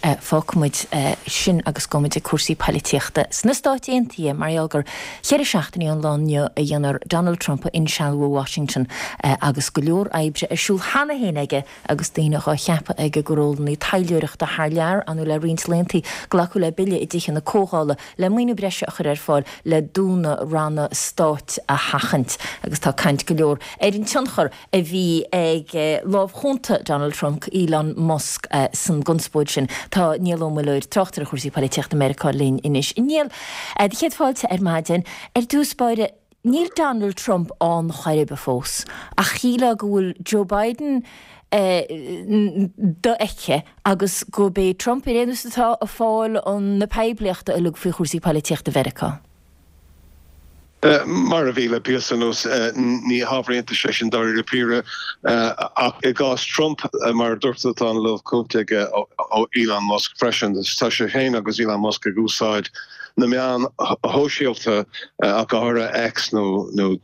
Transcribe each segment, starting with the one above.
fágfaimid sin agus gabhfaimid ag cúrsaí poilitíochta sna Stáit Aontaithe mar gheall gur cheithre seachtainí ón lá inniu a dhéanfar Donald Trump a insealbhú i Washington agus go leor oibre ar siúl cheana féin aige agus daoine dhá cheapadh aige go rólanna taidhleoireachta thar lear. Ar ndóigh le roinnt laethanta glacadh le bille i dTithe na Comhdhála le maoiniú breise a chur ar fáil le dúnadh ranna stáit a sheachaint agus tá caint go leor ar an tionchar a bhí ag lámh chúnta Donald Trump, Elon Musk, san gconspóid sin. Tá Niall Ó Muilleoir, tráchtaire chúrsaí poilitíochta Meiriceá linn anois. A Niall, do chéad fáilte ar maidin. Ar dtús báire, níl Donald Trump ann chor ar bith fós, ach shílfeá go bhfuil Joe Biden dofheicthe agus gurb é Trump ar aon nós atá ag fáil na poiblíochta uilig faoi chúrsaí poilitíochta Mheiriceá. Mar a bhí le píosa anuas, ní hábhar iontais é sin dáiríre píre, ach i gcás Trump, mar a dúirt tú, tá an lámh cúnta aige ó Elon Musk freisin. Tá sé féin agus Elon Musk ag úsáid na meáin shóisialta, ach go háirithe X nó nó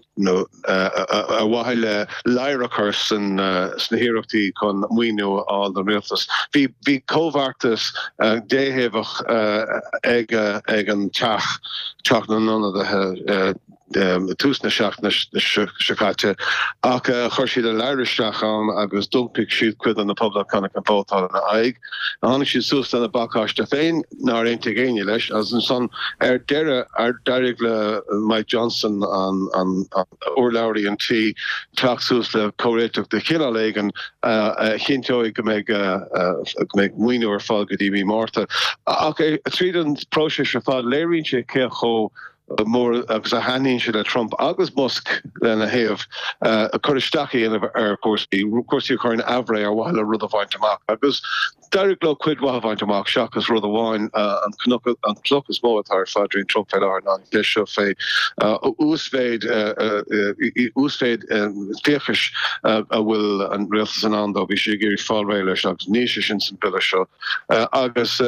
ar mhaithe le ladhar a chur sna hiarrachtaí chun maoiniú a fháil don rialtas. Bhí comhbheartas déthaobhach ag ag an Teach, Teach na nIonadaithe, tús na seachtaine seo caite ach chuir siad an ladhar isteach ann agus d'iompaigh siad cuid de na Poblachtánaigh chun vótáil ina aghaidh. Tháinig siad suas lena bpacáiste féin, nár aontaigh éinne leis, agus ansan ar deireadh d'éirigh le Mike Johnson, an urlabhraí an tí, teacht suas le comhréiteach de chineál éigin a chinnteoidh go mbeidh go mbeidh maoiniú ar fáil go dtí mí Márta. Ach tríd an bpróiseas ar fad léiríonn sé cé chomh mór agus a thaitníonn sé le Trump agus Musk lena thaobh, cur isteach a dhéanamh ar chúrsaí, cúrsaí a chur in aimhréidh ar mhaithe le rud a bhaint amach. Agus d'éirigh leo cuid mhaith a bhaint amach seachas rud amháin, an cnoc, an chloch is mó atá ar phaidrín Trump fé láthair ná an cheist seo fé uasmhéid, uasmhéid fiachais a bhfuil an rialtas in ann dó. Bhí sé ag iarraidh fáil réidh leis agus níl sé sin san bhille seo. Agus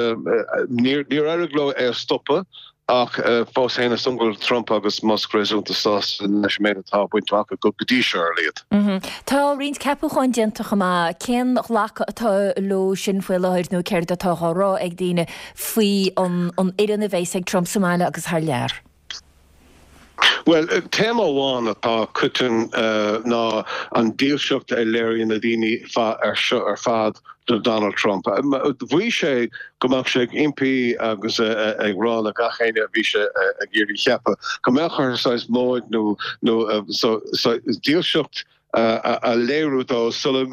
níor éirigh leo é a stopadh. Ach fós féin, is dóigh go bhfuil Trump agus Musk réasúnta sásta leis an méid atá bainte amach acu go dtí seo, ar a laghad. Tá roinnt ceapúcháin déanta chomh maith. Cén ghlacadh atá leo sin faoi láthair nó céard atá á rá ag daoine faoi an fhoireann a bheas ag Trump sa mbaile agus thar lear? Bhuel, téama amháin atá coiteann ná an dílseacht a léiríonn na daoine seo ar fad do Donald Trump. Mhaígh sé go mbeadh sé ag impí agus ag rá le gach éinne a bhí sé ag iarraidh cheapadh go mbeadh orthu saghas móid nó dílseacht a léiriú dó sula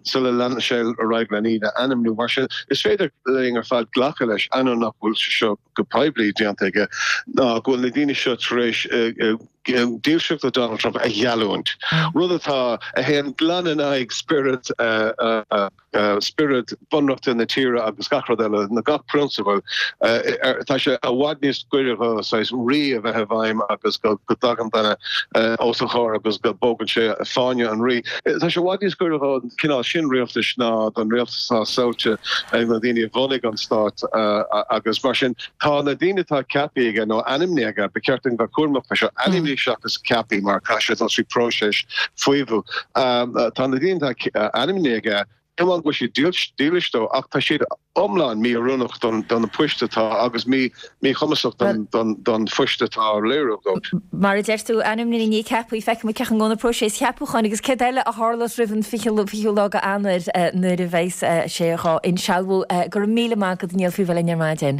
sula leanann sé ar aghaidh lena iad a ainmniú. Mar sin, is féidir linn ar fad glacadh leis, ainneoin nach bhfuil sé seo go poiblí déanta aige, ná go bhfuil na daoine seo tar éis dílseacht do Donald Trump a gheallúint, rud atá a théann glan in aghaidh spiorad spiorad bunreachta na tíre agus gach rud eile, na gach prionsabal. Tá sé i bhfad níos gaire do saghas rí a bheith i bhfeidhm agus go dtagann duine os a chomhair agus go bpógann sé fáinne an rí. Tá sé i bhfad níos gaire don chineál sin rialtais ná don rialtas atá samhlaithe ag na daoine a bhunaigh an stát agus mar sin tá na daoine atá ceaptha aige nó ainmnithe aige, ba cheart dúinn bheith cúramach fé seo, ainmnithe seachas ceaptha mar caithfidh sé dul trí próiseas faomhadh. Tá na daoine atá ainmnithe aige, ní amháin go bhfuil siad dílis dó ach tá siad iomlán mí-oiriúnach do na poist atá agus míchumasach don phoist atá á léiriú dóibh. Mar a deir tú, ainmnithe ní ceaptha, feicfimid cén chaoi a ngabhann an próiseas cheapúcháin agus céard eile a tharlós roimh an 20ú lá de Eanáir nuair a bheas sé dhá insealbhú. Go raibh míle maith agat, Niall, faoi bheith linn ar maidin.